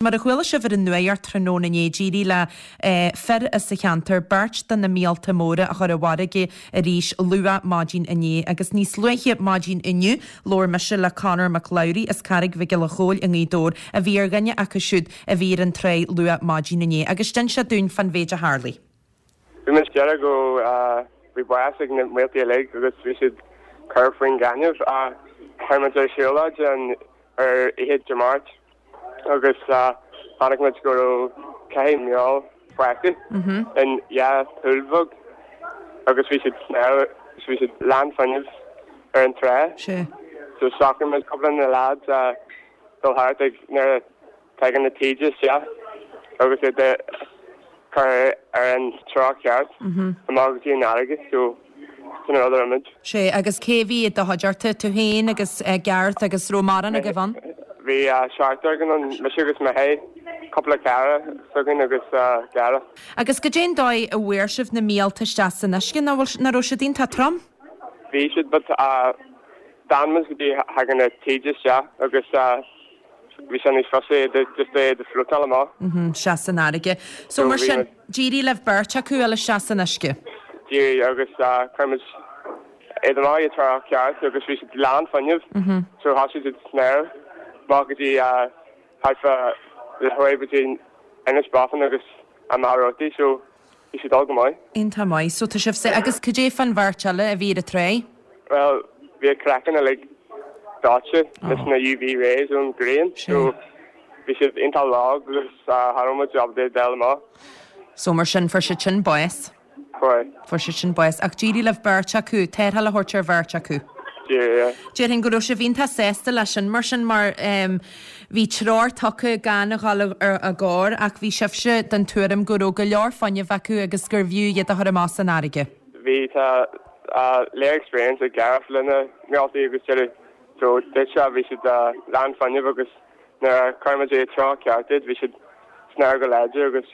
Mar a chuala sibh ar an nuacht tráthnóna inné, d'éirigh le fir as an cheantar beirt de na míolta móra a chur i bhfarraige arís luath maidin inné. Agus níos luaithe maidin inniu, labhair mise le Conor Mac Labhraí as Carraig Mhic Giolla Chóill i nGaoth Dobhair a bhí ar dhuine acu siúd a bhí ar an tráigh luath maidin inné agus d'inis sé dúinn fán mhéid a tharlaigh. Bhí muid ag déanamh go bhí bás ag na míoltaí uilig agus bhí siad cur faoin gaineamh. Chuir muid ar siúlóid ar oíche Dé Máirt agus chonaic muid go raibh 4 míol fágtha in 2 poll bheag agus bhí siad snámh agus bhí siad lán fuinnimh ar an trá. So shocraigh muid cúpla de na lads dul thart ag nuair a Tagann na taoide isteach agus iad a chur ar an treo ceart amach go dtí an fharraige so sin an rud a rinne muid. Sea, agus cé a bhí i do chuideachta? Tú féin agus Gareth agus raibh mórán agaibh ann? Bhí seachtar againn ann, mise agus Micheál, cúpla cara s'againn agus Gareth. Agus goidé an dóigh a bhfuair sibh na míolta isteach san uisce, nach bhfuil, nach raibh siad iontach trom? Bhí siad but d'fhan muid go dtí thagann na taoide isteach agus Bhí sé níos fusa iad just iad a floatáil amach. Isteach san fharraige. So mar sin, d'éirigh libh beirt acu a fháil isteach san uisce? D'éirigh agus chuir muid iad amach i dtreo ceart agus bhí siad lán fuinnimh so thosaigh siad ag snámh amach go dtí thart fá leathuair go dtí Inis Bó Finne agus an Machaire Rabhartaigh so Bhí siad ag dul go maith. Iontach maith. So tá sibh Agus cad é fán bheirt eile a bhí ar an tráigh? Bhuel, bhí a craiceann uilig dóite leis na UV rays ón ghrian so bhí siad iontach lag agus cha raibh muid ábalta iad a fháil amach. So mar sin, fuair siad sin bás. Fuair. Fuair siad sin bás. Ach d'éirigh libh beirt acu, tarrtháil a thabhairt ar bheirt acu. D'éirigh, yeah. Déarfainn go raibh sibh iontach sásta leis sin mar sin mar bhí treoir tugtha gan a dhul i gcabhair ach bhí sibhse den tuairim go raibh go leor fuinnimh acu agus gurbh fhiú iad a chur amach san fharraige. Bhí, tá lear experience ag Gareth le na míoltaí agus deireadh so dúirt sé bhí siad lán fuinnimh agus Nuair a chuir muid i dtreo ceart iad, bhí siad snámh go láidir agus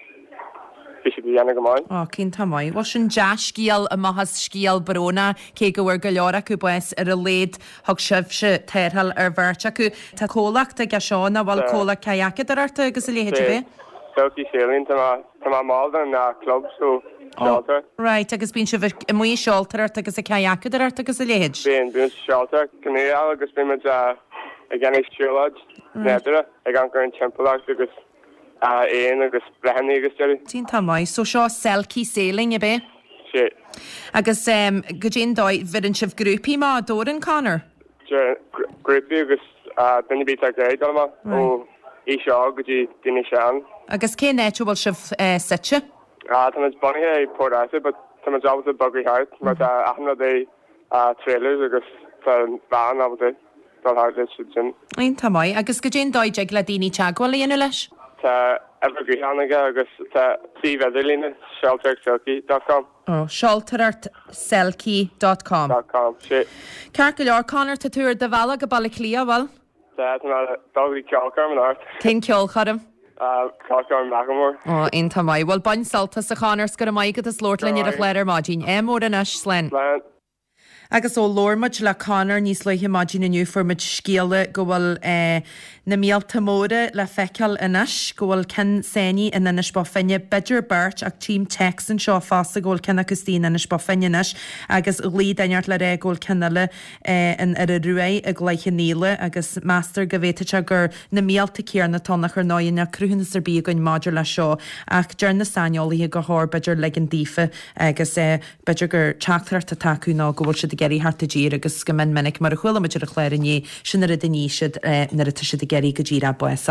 bhí siad ag déanamh go maith. Ó, iontach maith. Bhuel, sin dea-scéal amach as scéal brónach, cé go bhfuair go leor acu bás, ar a laghad thug sibhse tarrtháil ar bheirt acu. Tá comhlacht aige seo, nach bhfuil? Comhlacht cadhacadóireachta agus a leithéid, ab ea? Selkie Sailing, tá mé, tá mé ball den club so seoltóir. Right, agus bíonn sibh amuigh ag seoltóireacht agus ag cadhacadóireacht agus a leithéid? Bíonn, bíonn muid ag seoltóireacht, canoeáil agus bíonn muid ag déanamh siúlóid nádúrtha, ag amharc ar an timpeallacht agus éin agus bláthanna agus deireadh. Iontach maith. So seo Selkie Sailing, ab ea? Sea. Agus goidé an dóigh, bheireann sibh grúpaí amach, an dtabharann, Conor? Grúpaí agus duine ar bith atá ag iarraidh dul amach, ó aois óg go dtí daoine sean. Agus cén áit a bhfuil sibh suite? Tá muid bunaithe i Port Arthur but tá muid ábalta bogadh thart mar tá achan rud i trailers agus tá an veain ábalta dul thart leis siad sin. Iontach maith. Agus goidé an dóigh a dtig le daoine teagmháil a dhéanamh leis? Tá uimhir gutháin aige agus tá suíomh idirlíne, seoltóireachtselkie dot com. Oh, seoltóireachtselkie dot com. Dot com, sea. Ceart go leor, Conor, tá tú ar do bhealach go Baile Átha Cliath, bhfuil? Sea, tá mé ag dul go dtí ceolchoirm anocht. Cén ceolchoirm? Ceolchoirm Macklemore. Ó, iontach maith. Bhuel, bain sult as, a Chonor, 's go raibh maith agat as labhairt linn ar an chlár ar maidin. Ádh mór anois. Slán. Slán. Agus ó labhair muid le Conor níos luaithe maidin inniu fuair muid scéala go bhfuil na míolta móra le feiceáil anois, go bhfuil ceann sáinnithe in Inis Bó Finne, b'fhéidir beirt ach tchím téacs anseo fosta go bhfuil ceann acu istigh in Inis Bó Finne anois agus ghlaoigh duine ort le rá go bhfuil ceann eile in Iora Ruaidh i gCloich Cheann Fhaola agus meastar go bhféadfadh sé gur na míolta céanna atá ann ach ar ndóigh níl cruthúnas ar bith againn maidir leis seo ach deir na saineolaithe gur chóir b'fhéidir ligean daofa agus b'fhéidir gur teachtaireacht atá acu nó go bhfuil siad ag iarraidh theacht i dtír agus go mion minic mar a chuala muid ar an chlár inné sin an rud a ní siad nuair atá siad ag iarraidh go díreach bás.